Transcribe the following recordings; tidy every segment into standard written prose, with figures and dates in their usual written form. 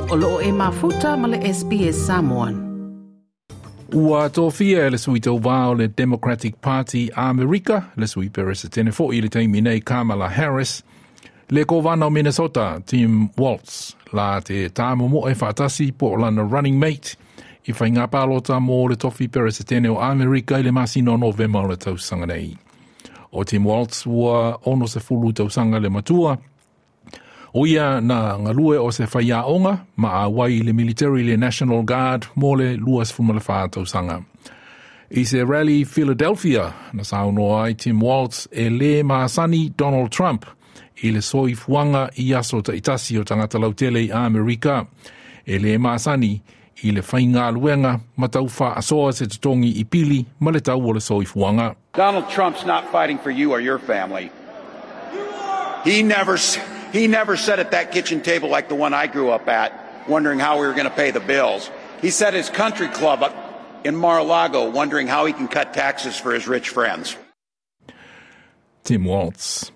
O loo e mafuta ma le SBS Samoan. Ua tofia e le sui tauvā o le Democratic Party Amerika, le sui peresetene fo'i i le taimi nei Kamala Harris, le kovana o Minnesota Tim Walz, la te tāmomoe faatasi po o lana running mate i faiga palota mo le tofi peresetene o Amerika i le masina o Novema o le tausaga nei. O Tim Walz ua 60 tausaga le matua, o ia na galue o se faiaoga ma auai i le military le National Guard mo le 24 tausaga. I se rally Philadelphia, na saunoa ai Tim Walz e lē masani Donald Trump i le soifuaga i aso taitasi o tagata lautele i Amerika. E lē masani i le faigaluega ma tau faasoa se totogi i pili ma le tau o le soifuaga. Donald Trump's not fighting for you or your family. He never, he never sat at that kitchen table like the one I grew up at, wondering how we were going to pay the bills. He sat at his country club up in Mar-a-Lago, wondering how he can cut taxes for his rich friends. Tim Walz.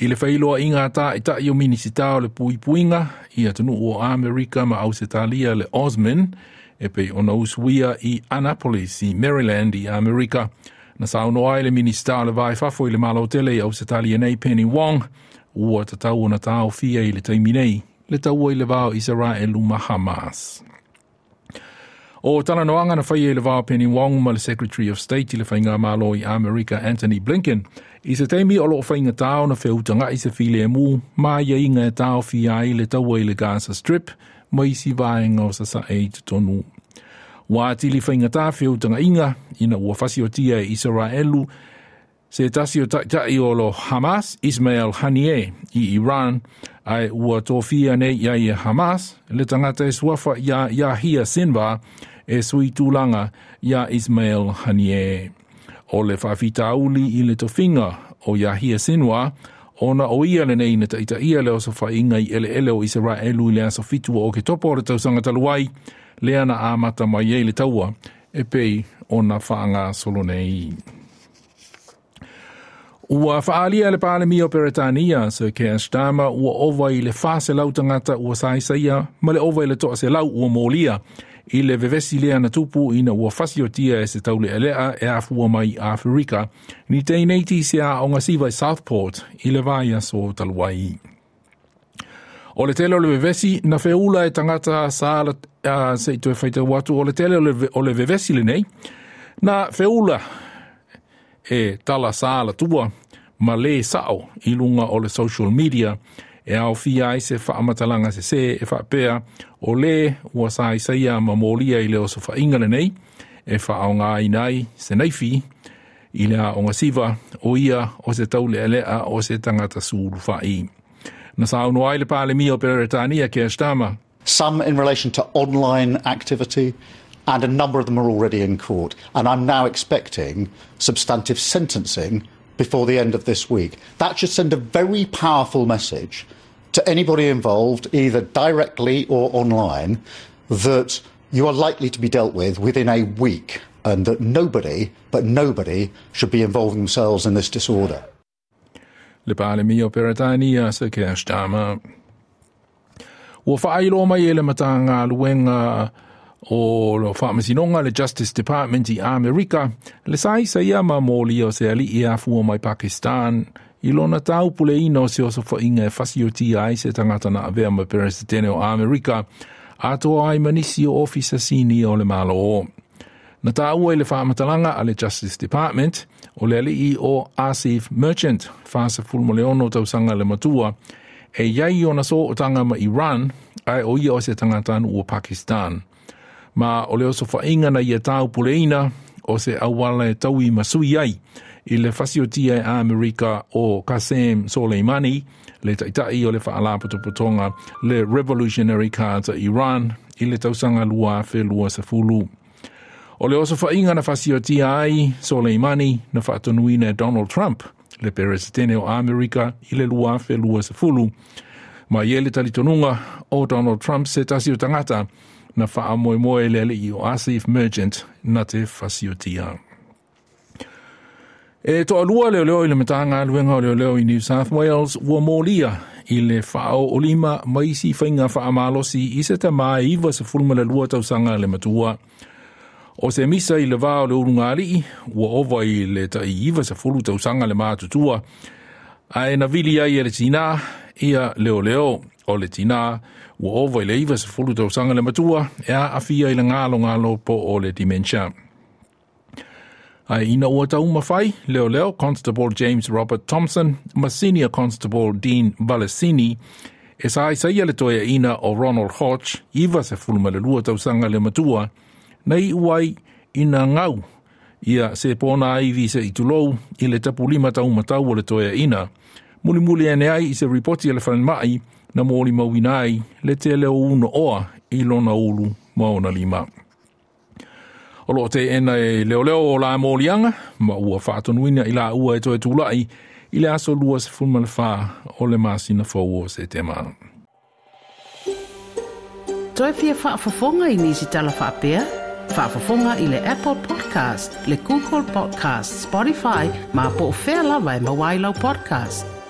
I le feiloaiga a Taitai o Minisita o le Puipuiga i atunuu o Amerika ma Ausetalia le AUSMIN e pei ona usuia i Annapolis i Maryland i Amerika, na saunoa ai le Minisita o le Va i Fafo i le Malo Tele i Ausetalia nei Penny Wong, ua tatau ona taofia i le taimi nei le taua i le va o Isaraelu ma Hamas. O talanoaga na faia i le va o Penny Wong ma le Secretary of State i le Faigamalo i Amerika Antony Blinken i se taimi o loo faigatā ona feutaga'i se filemu ma aiaiga e taofia ai le taua i le Gaza Strip ma isi vaega o sasae i totonu. Ua atili faigatā feutaga'iga ina ua fasiotia e Isaraelu se tasi o taitai o lo Hamas, Ismail Haniyeh, i Iran, ae ua tofia nei i ai e Hamas le tagata e suafa ia Yahya Sinwar e sui tulaga ia Ismail Haniyeh. O le faafitauli i le tofiga o Yahya Sinwar, ona o ia lenei na taitaia le osofaiga i eleele o Isaraelu i le aso 7 o Oketopa o le tausaga talu ai, lea na amata mai ai le taua e pei ona faagasolo nei. Ua faaalia le Palemia o Peretania, Sir Keir Starmer, ua ova i le 400 tagata ua saisaia ma le ova i le 100 ua molia i le vevesi lea na tupu ina ua fasiotia e se taulealea e afua mai i Aferika ni teineiti i se aoga siva i Southport i le vaiaso talu ai. O le tele o le vevesi na feula e tagata sa se i toe faitau atu, o le tele o le vevesi lenei na feula e tala sa alatua ma lē sa'o i luga o le social media e aofia ai se faamatalaga sesē e faapea o lē ua saisaia ma molia i le osofaiga lenei e faaaogaina ai se naifi i le aoga siva o ia o se taulealea o se tagata sulufa'i. Na saunoa ai le Palemia o Peretania Keir Starmer. Some in relation to online activity, and a number of them are already in court. And I'm now expecting substantive sentencing before the end of this week. That should send a very powerful message to anybody involved, either directly or online, that you are likely to be dealt with within a week and that nobody, but nobody, should be involving themselves in this disorder. Le Palemia o Peretania, Sir Keir Starmer. Ua faailoa mai e le Matagaluega o le Faamasinoga le Justice Department i Amerika le saisaia ma molia o se alii e afua mai Pakistan i lona taupuleina o se osofaiga e fasiotia ai se tagata na avea ma Peresetene o Amerika atoa ai ma nisi o ofisa sinia o le Malo. Na taua i le faamatalaga a le Justice Department o le alii o Asif Merchant, 46 tausaga le matua, e iai ona sootaga ma Iran, ae o ia o se tagatanuu o Pakistan. Ma o le osofaiga na ia taupuleina o se auala e taui ma sui ai i le fasiotia e Amerika o Qasem Soleimani, le taitai o le faalapotopotoga le Revolutionary Guards a Iran i le tausaga 2020. O le osofaiga na fasiotia ai Soleimani na faatonuina e Donald Trump, le Peresetene o Amerika i le 2020. Ma i ai le talitonuga o Donald Trump se tasi o tagata na faamoemoe le alii o Asif Merchant na te fasiotia. E toalua leoleo i le Matagaluega o Leoleo i New South Wales ua molia i le faaoolima ma isi faiga faamalosi i se tamā e 92 tausaga le matua. O se misa i le va o le ulugalii ua ova i le tai 90 tausaga le matutua, ae na vili ai e le tinā ia leoleo. O le tinā ua ova i le 90 tausaga le matua e aafia i le galogalo po o le dementia. Ae ina ua taumafai leoleo Constable James Robert Thompson ma Senior Constable Dean Valesini e saisaia le toeaina o Ronald Hodge, 92 tausaga le matua, na iu ai ina gau ia se ponaivi se'i tulou i le tapulima taumatau o le toeaina. Mulimuli ane ai i se ripoti a le falemai na molimauina ai le tele o unooa i lona ulu ma ona lima. O loo teena e leoleo o la moliaga ma ua faatonuina i laua e toe tula'i i le aso 24 o le masina fou o Setema. Toe fia faafofoga i nisi tala faapea? Faafofoga i le Apple Podcast, le Google Podcast, Spotify, ma po o fea lava e maua ai lau podcast.